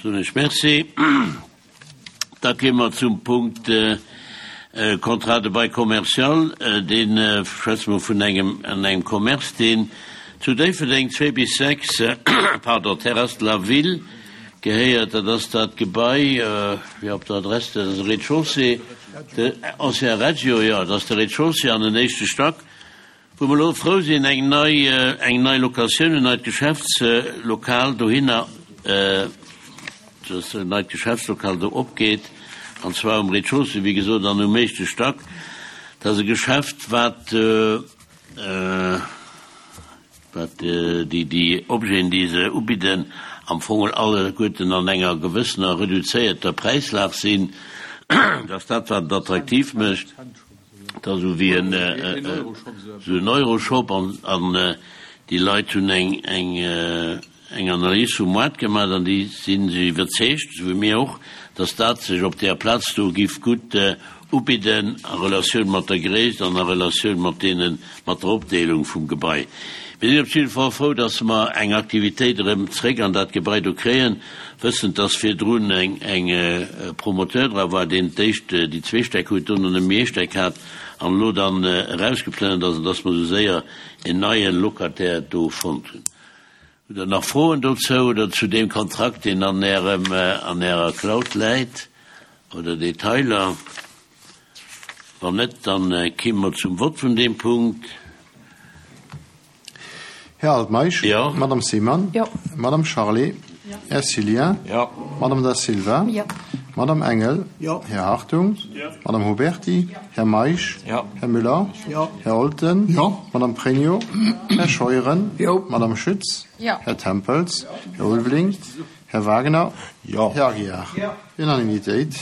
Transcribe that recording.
Soen ech Merci. Da kéime mer zum Punkt Contrat de bail commercial. Dee schwätze mer vun engem, an engem Commerce, deen zu Déifferdeng 2 bis 6, pardon, Terrasse de la Ville gehéiert. Dat ass dat Gebai, jo, op der Adress, dat ass e Rez-de-chaussée, de ancien Reggio, jo, dat ass de Rez-de-chaussée an den éischte Stack. Wou mer elo frou sinn, eng nei, eng nei Locatioun, en neit Geschäftslokal dohinner, dass en neit Geschäftslokal do opgeet, an zwar um Rez-de-chaussée, wéi gesot, an um éischte Stack. Dat ass e Geschäft, wat, wat déi, déi Objeten, déi se ubidden, am Fong alleguerten an enger gewëssener reduzéierter Präislag sinn. Dat ass dat, wat et attraktiv mécht. Et ass esou wéi en esou en Euroshop an an déi Leit hunn eng eng eng Analys vum Moart gemaach an déi sinn sech iwwerzeegt, esou wéi mir och, datt dat sech op där Plaz do giff gutt ubidden a Relatioun mat der Gréisst an a Relatioun mat deene mat der Opdeelung vum Gebai. Mir sinn op jidde Fall frou, datt mer eng Aktivitéit erëm zréck an dat Gebai do kréien, wëssend, datt virdrun eng Promoteur dra war, deen d'éischt déi zwee Stäck huet, dono nëmme ee Stäck hat an elo dann erausgeplënnert ass, an datt mer esou séier en neie Locataire do fonnt hunn. Hutt Der nach Froen dozou oder zu deem Kontrakt, deen an Ärem, an Ärer Cloud läit, oder Detailer? Wann net, dann kimme mer zum Vott vun deem Punkt. Här Altmeisch. Jo. Madame Seemann. Jo. Madame Charlé. Jo. Här Cillien. Jo. Madame Da Silva. Jo. Madame Engel. Jo. Här Hartung. Jo. Madame Huberty. Jo. Här Meisch. Jo. Här Müller. Jo. Här Olten. Jo. Madame Pregno. Här Scheuren. Jo. Madame Schütz. Jo. Här Tempels. Här Ulveling. Här Wagner. Jo. Här Aguiar. Jo. Unanimitéit.